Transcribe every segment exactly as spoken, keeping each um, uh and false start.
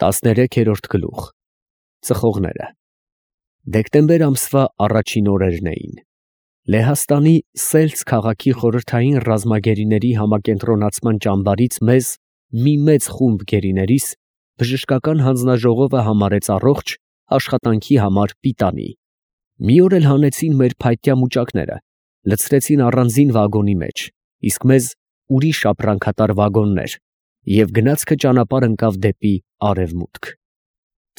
տասներեքերորդ գլուխ Ծխողները Դեկտեմբեր ամսվա առաջին օրերն էին։ Լեհաստանի Սելց քաղաքի խորհրդային ռազմագերիների համակենտրոնացման ճամբարից մեզ մի մեծ խումբ գերիներիս բժշկական հանձնաժողովը համարեց առողջ աշխատանքի համար պիտանի։ Մի օր էլ հանեցին մեր փայտյա մուճակները, լցրեցին առանձին վագոնի մեջ, իսկ մեզ ուրիշ ապրանքատար վագոններ, և գնացքը ճանապարհ ընկավ դեպի արևմուտք։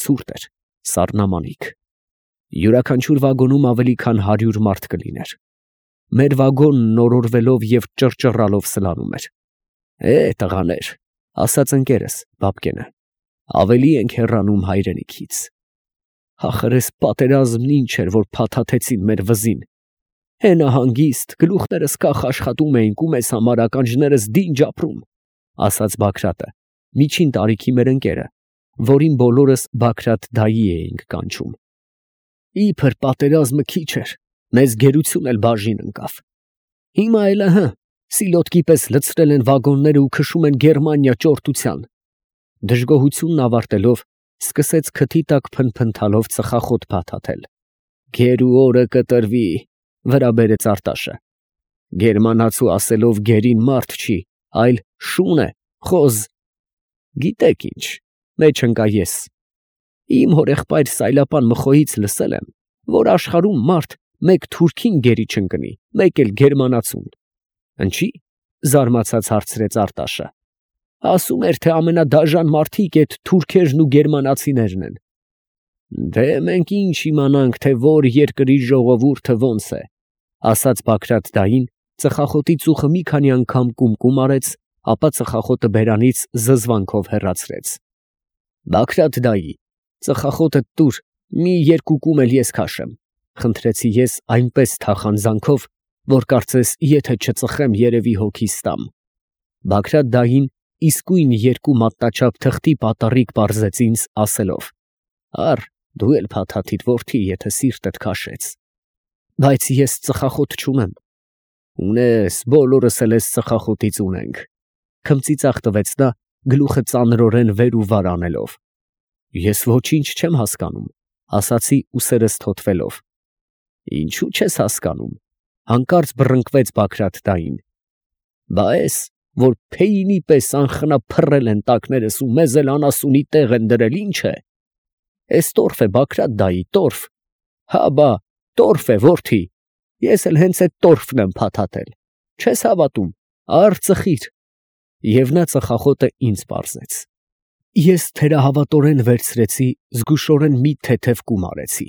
Ցուրտ էր, սառնամանիք։ Յուրաքանչյուր վագոնում ավելի քան հարյուր մարդ կլիներ։ Մեր վագոնն օրորվելով և ճռճռալով սլանում էր։ «Է, տղաներ», ասաց ընկերս Բաբկենը, «ավելի ենք հեռանում հայրենիքից։ Ախր էս պատերազմն ինչ էր, որ փաթաթեցին մեր վզին։ Հենա հանգիստ, գլուխներս կախ աշխատում էինք ու մեզ համար ականջներս դինջ ապրում», ասաց Բագրատը, միջին տարիքի մեր ընկերը, որին բոլորս Բագրատ դայի էինք կանչում։ «Իբր պատերազմը քիչ էր, մեզ գերություն էլ բաժին ընկավ։ Հիմա էլ ըհը, սիլոտկի պես լցրել են վագոնները ու քշում են Գերմանիա ճորտության»։ Դժգոհությունն ավարտելով, սկսեց քթի տակ փնփնթալով ծխախոտ փաթաթել։ «Գերու օրը կտրվի», վրա բերեց Արտաշը։ «Գերմանացու ասելով գերին մարդ չի, այլ շուն է, խոզ»։ «Գիտեք ինչ, մեջ ընկա ես։ Իմ հորեղբայր Սայլապան Մխոյից լսել եմ, որ աշխարհում մարդ մեկ թուրքին գերի չընկնի, մեկ էլ գերմանացուն»։ «Ընչի՞, զարմացած հարցրեց Արտաշը։ «Ասում էր, թե ամենադաժան մարդիկ էդ թուրքերն ու գերմանացիներն են»։ «Դե մենք ինչ իմանանք, թե որ երկրի ժողովուրդը ոնց է», ասաց Բագրատ դային, ծխախոտի ծուխը մի քանի անգամ կումկում արեց, ապա ծխախոտը բերանից զզվանքով հեռացրեց։ «Բագրատ դայի, ծխախոտդ տուր, մի երկու կում էլ ես քաշեմ», խնդրեցի ես այնպես թախանձանքով, որ կարծես եթե չծխեմ, երևի հոգիս տամ։ Բագրատ դային իսկույն երկու մատնաչափ թղթի պատառիկ պարզեց ինձ, ասելով. «Առ, դու էլ փաթաթիր, որդի, եթե սիրտդ քաշեց»։ «Բայց ես ծխախոտ չունեմ»։ «Ունես, բոլորս էլ էս ծխախոտից ունենք», քմծիծաղ տվեց նա, գլուխը ծանրորեն վեր ու վար անելով։ «Ես ոչինչ չեմ հասկանում», ասացի ուսերս թոթվելով։ «Ինչու չես հասկանում», հանկարծ բռնկվեց Բագրատ դային։ «Բա էս, որ Փեյինի պես անխնա փռել են տակներս ու մեզ էլ անասունի տեղ են դրել, ինչ է։ Էս տորֆ է, Բագրատ դայի, տորֆ։ Հա բա, տորֆ է, որդի, ես էլ հենց էդ տորֆն եմ փաթաթել։ Չես հավատում, առ ծխիր»։ Եվ նա ծխախոտը ինձ պարզեց։ Ես թերահավատորեն վերցրեցի, զգուշորեն մի թեթև կում արեցի։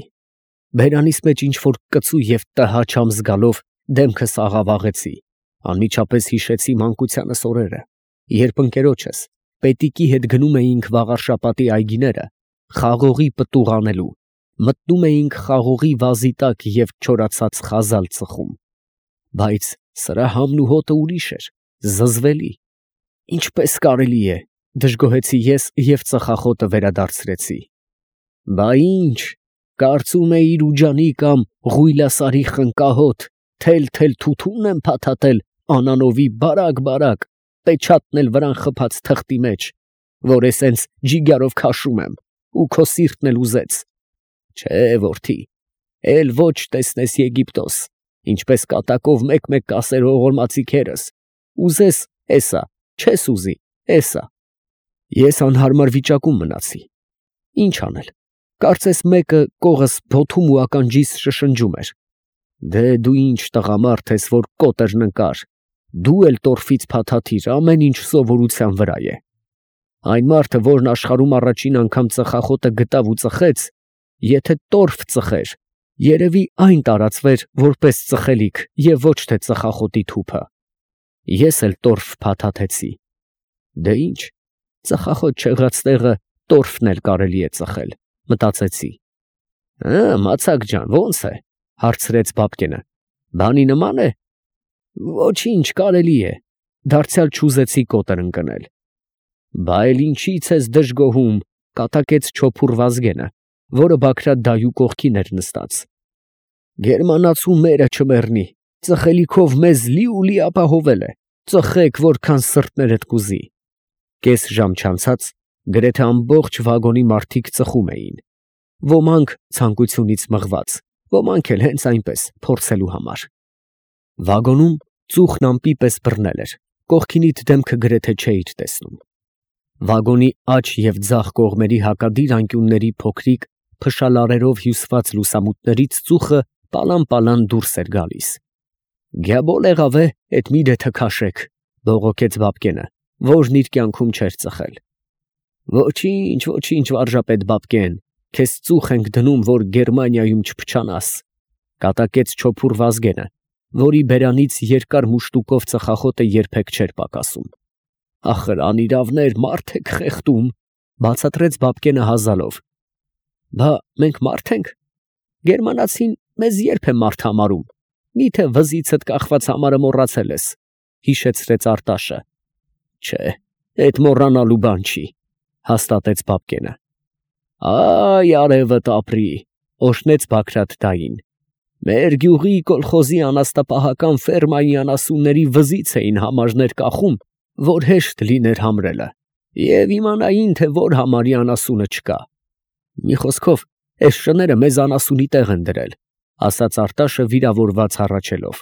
Բերանիս մեջ ինչ֊որ կծու և տհաճ չամ զգալով դեմքս աղավաղեցի, անմիջապես հիշեցի մանկությանս օրերը, երբ ընկերոջս պետիկի հետ գնում էինք Վաղարշապատի այգիները խաղողի պտուղ անելու, մտնում էինք խաղողի վազի տակ և չորացած խազալ ծխում։ Բայց սրա համն ու հոտը ուրիշ էր, զզվելի։ «Ինչպես կարելի է», դժգոհեցի ես և ծխախոտը վերադարձրեցի։ «Բա ինչ, կարծում էիր ուջանի կամ Ղույլասարի խնկահոտ, թել֊թել թութուն եմ փաթաթել անանովի բարակ֊բարակ, պեչատն էլ վրան խփած թղթի մեջ, որ էսենց ջիգարով քաշում եմ, ու քո սիրտն էլ ուզեց։ Չէ, որդի, էլ ոչ տեսնես Եգիպտոս, ինչպես կատակով մեկ֊մեկ կասեր ողորմածի քերս, ուզես էսա, չես ուզի էսա»։ Ես անհարմար վիճակում մնացի։ Ինչ անել, կարծես մեկը կողս բոթում ու ականջիս շշնջում էր. «Դե դու ինչ տղամարդ ես, որ կոտերն ընկար, դու էլ տորֆից փաթաթիր, ամեն ինչ սովորության վրա է։ Այն մարդը, որն աշխարհում առաջին անգամ ծխախոտը գտավ ու ծխեց, եթե տորֆ ծխեր, երևի այն տարածվեր որպես ծխելիք և ոչ թե ծխախոտի թուփը։ Ես էլ տորֆ փաթաթեցի։ Դե ինչ, ծխախոտ չեղած տեղը տորֆն էլ կարելի է ծխել, մտածեցի։ «Հը, մացակ ջան, ո՞նց է», հարցրեց Բաբկենը։ «Բանի նման է»։ «Ոչինչ, կարելի է», դարձյալ չուզեցի կոտր ընկնել։ «Բա էլ ինչի՞ց ես դժգոհում», կատակեց չոփուռ Վազգենը, որը Բագրատ դայու կողքին էր նստած։ «Գերմանացու մերը չմեռնի, ծխելիքով մեզ լի֊ու-լի ապահովել է, ծխեք, որքան սրտներդ կուզի»։ Կես ժամ չանցած Գրեթե ամբողջ վագոնի մարդիկ ծխում էին, ոմանք ցանկությունից մղված, ոմանք էլ հենց այնպես փորձելու համար։ Վագոնում ծուխն ամպի պես բռնել էր, կողքինիդ դեմքը գրեթե չէիր տեսնում։ Վագոնի աջ և ձախ կողմերի հակադիր անկյունների փոքրիկ փշալարերով հյուսված լուսամուտներից ծուխը պալան-պալան դուրս էր գալիս։ «Գյաբոլ եղավ է, էդ մի դեթը քաշեք», բողոքեց Բաբկենը, որն իր կյանքում չէր ծխել։ «Ոչինչ, ոչինչ, վարժապետ Բաբկեն, քեզ ծուխ ենք դնում, որ Գերմանիայում չփչանաս», կատակեց չոփուր Վազգենը, որի բերանից երկար մուշտուկով ծխախոտը երբեք չէր պակասում։ «Ախր անիրավներ, մարդ եք խեղդում», բացատրեց Բաբկենը հազալով։ «Բա մենք մարդ ենք։ Գերմանացին մեզ երբ է մարդ համարում, միթե վզիցդ կախված համարը մոռացել ես», հիշեցրեց Արտաշը։ «Չէ, էդ մոռանալու բան չի», հաստատեց Բաբկենը։ «Այ արևդ ապրի», օշնեց Բագրատ֊դային։ «Մեր գյուղի կոլխոզի անաստապահական ֆերմայի անասունների վզից էին համարներ կախում, որ հեշտ լիներ համրելը, և իմանային, թե որ համարի անասունը չկա։ Մի խոսքով, էս շները մեզ անասունի տեղ են դրել», ասաց Արտաշը վիրավորված հառաչելով։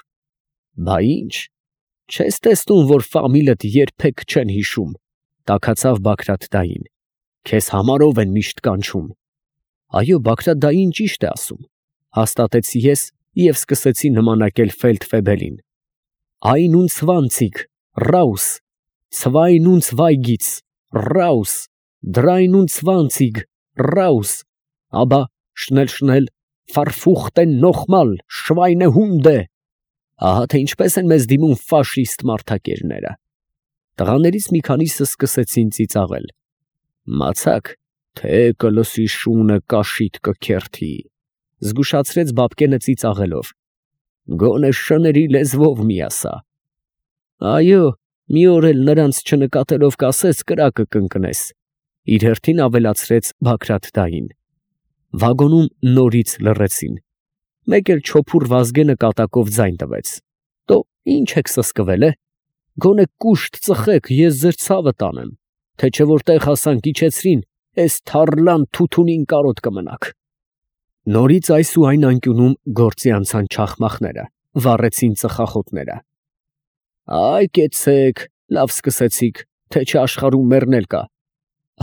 «Բա ինչ, չես տեսնում, որ ֆամիլդ երբեք չեն հիշում», տաքացավ Բագրատ֊դային։ «Քեզ համարով են միշտ կանչում»։ «Այո, Բագրատ֊դային ճիշտ է ասում», հաստատեցի ես և սկսեցի նմանակել ֆելդֆեբելին։ «Այնունցվանցիգ, Ռաուս, ցվայնունցվայգից, Ռաուս, դրայնունցվանցիգ, Ռաուս, աբա շնել շնել, ֆարֆուխտեն նոխմալ, շվայնեհունդե»։ Ահա թե ինչպես են մեզ դիմում ֆաշիստ մարդակերները։ Տղաներից մի քանիսը սկսեցին ծիծաղել։ «Մացաք, թե կլսի շունը կաշիտ կքերթի», զգուշացրեց Բաբկենը ծիծաղելով։ «Գոնե շների լեզվով մի ասա»։ «Այո, մի օր էլ նրանց չնկատելով կասես կրակը կընկնես», իր հերթին ավելացրեց Բագրատ֊դային։ Վագոնում նորից լռեցին։ Մեկ էլ չոփուր Վազգենը կատակով ձայն տվեց։ «Տո ինչ եք սսկվել, է, գոնե կուշտ ծխեք, ես ձեր ցավը տանեմ, թե չէ որ տեղ հասանք իջեցրին, էս թառլան թութունին կարոտ կմնաք»։ Նորից այս ու այն անկյունում գործի անցան չախմախները, վառեցին ծխախոտները։ «Այ կեցցեք, լավ սկսեցիք, թե չէ աշխարհում մեռնել կա։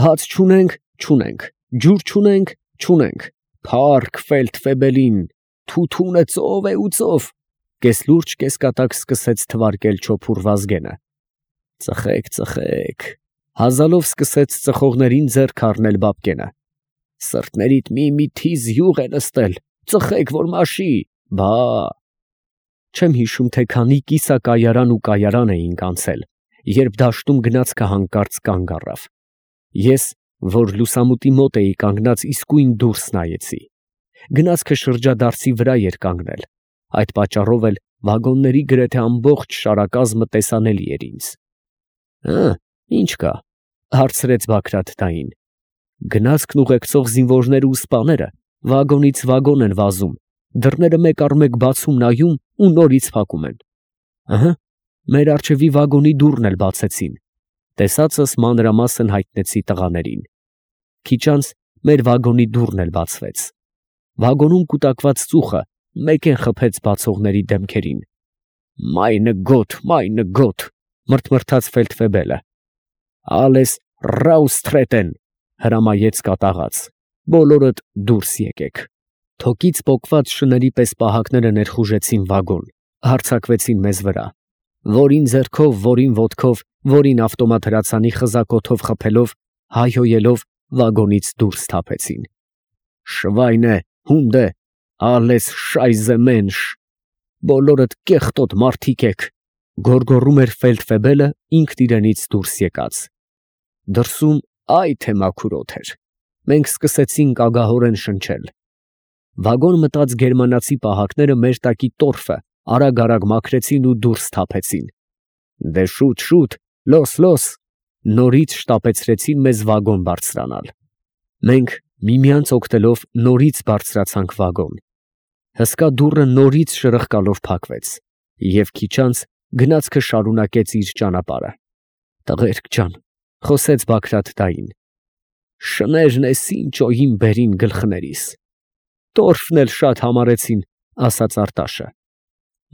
Հաց չունենք, չունենք, ջուր չունենք, չունենք, փառք ֆելդֆեբելին, թութունը ծով է ու ծով», կեսլուրջ կեսկատակ սկսեց թվարկել չոփուր Վազգենը։ «Ծխեք, ծխեք», հազալով սկսեց ծխողներին ձեռք առնել Բաբկենը։ «Սրտներիդ մի-մի թիզ յուղ է նստել, ծխեք, որ մաշի, բա»։ Չեմ հիշում, թե քանի կիսակայարան ու կայարան էինք անցել, երբ դաշտում գնացքը հանկարծ կանգ առավ։ Ես, որ լուսամուտի մոտ էի կանգնած, իսկույն դուրս նայեցի։ Գնացքը շրջադարձի վրա էր կանգնել, այդ պատճառով էլ վագոնների գրեթե ամբողջ շարակազմը տեսանելի էր ինձ։ «Հը, ինչ կա», հարցրեց Բագրատ-դային։ «Գնացքն ուղեկցող զինվորները ու սպաները վագոնից վագոն են վազում, դռները մեկ առ մեկ բացում նայում ու նորից փակում են»։ «Ըհը, մեր առջևի վագոնի դուռն էլ բացեցին», տեսածս մանրամասն հայտնեցի տղաներին։ Քիչ անց մեր վագոնի դուռն էլ բացվեց։ Վագոնում կուտակված ծուխը մեկեն խփեց բացողների դեմքերին։ «Մայնը գոտ, մայնը գոտ», մրթմրթաց ֆելդֆեբելը։ «Ալես Ռաուսթրետեն», հրամայեց կատաղած։ «Բոլորդ դուրս եկեք»։ Թոկից պոկված շների պես պահակները ներխուժեցին վագոն, հարձակվեցին մեզ վրա։ Որին ձեռքով, որին ոտքով, որին ավտոմատ հրացանի խզակոթով խփելով, հայհոյելով վագոնից դուրս թափեցին։ «Շվայնե, հունդե, ալես շայզե մենշ», բոլորդ կեղտոտ մարդիկ եք, գոռգոռում էր ֆելդֆեբելը ինքն իրենից դուրս եկած։ Դրսում այ թե մաքուր օդ էր։ Մենք սկսեցինք ագահորեն շնչել։ Վագոն մտած գերմանացի պահակները մեր տակի տորֆը արագ-արագ մաքրեցին ու դուրս թափեցին։ «Դե շուտ, շուտ, լոս, լոս», նորից շտապեցրեցին մեզ վագոն բարձրանալ։ Մենք միմյանց օգտելով նորից բարձրացանք վագոն։ Հսկա դուռը նորից շրխկալով փակվեց, և քիչ անց գնացքը շարունակեց իր ճանապարհը։ «Տղերք ջան», խոսեց Բագրատ-դային, Շներն էս ինչ օին բերին գլխներիս։ Տորֆն էլ շատ համարեցին, ասաց Արտաշը։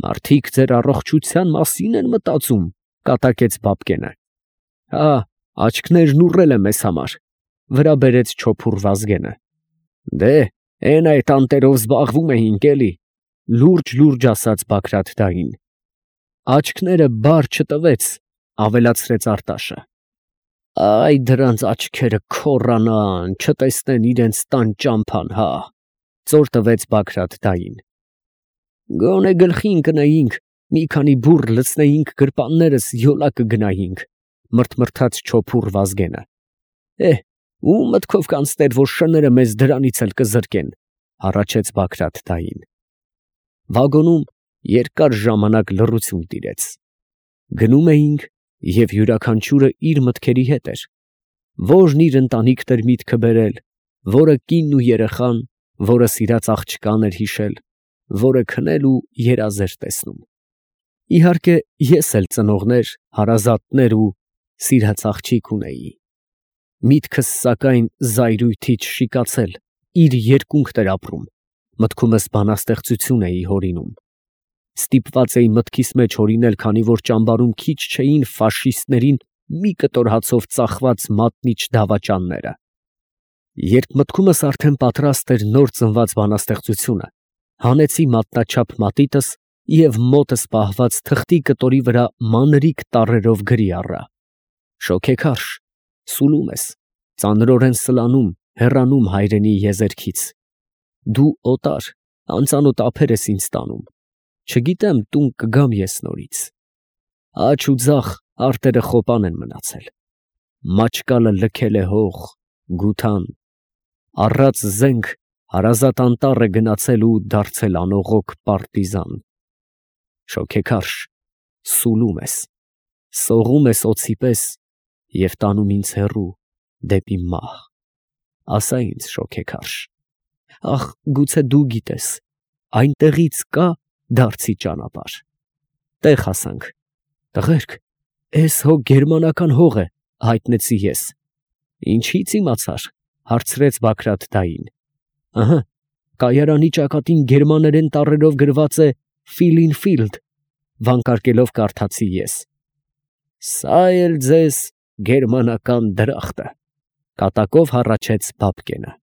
Մարդիկ ձեր առողջության մասին են մտածում, կատակեց Բաբկենը։ Հա, աչքներն ուռել է մեզ համար, վրա բերեց Չոփուռ Վազգենը։ Դե, էն այդ անտերով զբաղվում էինք էլի, լուրջ-լուրջ ասաց Բագրատ֊դային։ Աչքները բար չտվեց, ավելացրեց Արտաշը։ Այ դրանց աչքերը քոռանան, չտեսնեն իրենց տան ճամփան, հա, ծոր տվեց Բագրատ֊դային։ Գոնե գլխին կնայինք, մի քանի բուռ լցնեինք գրպաններս, յոլա կգնայինք, մրթմրթաց Չոփուռ Վազգենը։ Է, ու մտքով կանցներ, որ շները մեզ դրանից էլ կզրկեն, հառաչեց Բագրատ֊դային։ Վագոնում երկար ժամանակ լռություն տիրեց։ Գնում էինք, և յուրաքանչյուրը իր մտքերի հետ էր, որն իր ընտանիքն էր միտքը բերել, որը կինն ու երեխան, որը սիրած աղջկան էր հիշել, որը քնել ու երազեր տեսնում։ Իհարկե, ես էլ ծնողներ, հարազատներ ու սիրած աղջիկ ունեի։ Միտքս սակայն զայրույթից շիկացել, իր երկունքն էր ապրում, մտքումս բանաստեղծություն էի հորինում։ Ստիպված էի մտքիս մեջ հորինել, քանի որ ճամբարում քիչ չէին ֆաշիստներին մի կտոր հացով ծախված մատնիչ դավաճանները։ Երբ մտքումս արդեն պատրաստ էր նոր ծնված բանաստեղծությունը, հանեցի մատնաչափ մատիտս և մոտս պահված թղթի կտորի վրա մանրիկ տառերով գրի առա. Շոգեքարշ, սուլում ես, ծանրորեն սլանում, հեռանում հայրենի եզերքից։ Դու օտար, անծանոթ ափեր ես ինձ տանում, չգիտեմ տուն կգամ ես նորից։ Աջ ու ձախ արտերը խոպան են մնացել, մաճկալը լքել է հող, գութան, առած զենք հարազատ անտառ է գնացել ու դարձել անողոք պարտիզան։ Շոգեքարշ, սուլում ես, սողում ես օձի պես և տանում ինձ հեռու դեպի մահ։ Ասա ինձ, շոգեքարշ, ախ, գուցե դու գիտես, այնտեղից կա դարձի ճանապարհ։ Տեղ հասանք։ Տղերք, էս հո գերմանական հող է, հայտնեցի ես։ Ինչի՞ց իմացար, հարցրեց Բագրատ֊դային։ Ըհը, կայարանի ճակատին գերմաներեն տառերով գրված է Ֆիլին Ֆիլդ, վանկարկելով կարդացի ես։ Սա էլ ձեզ գերմանական դրախտը, կատակով հառաչեց Բաբկենը։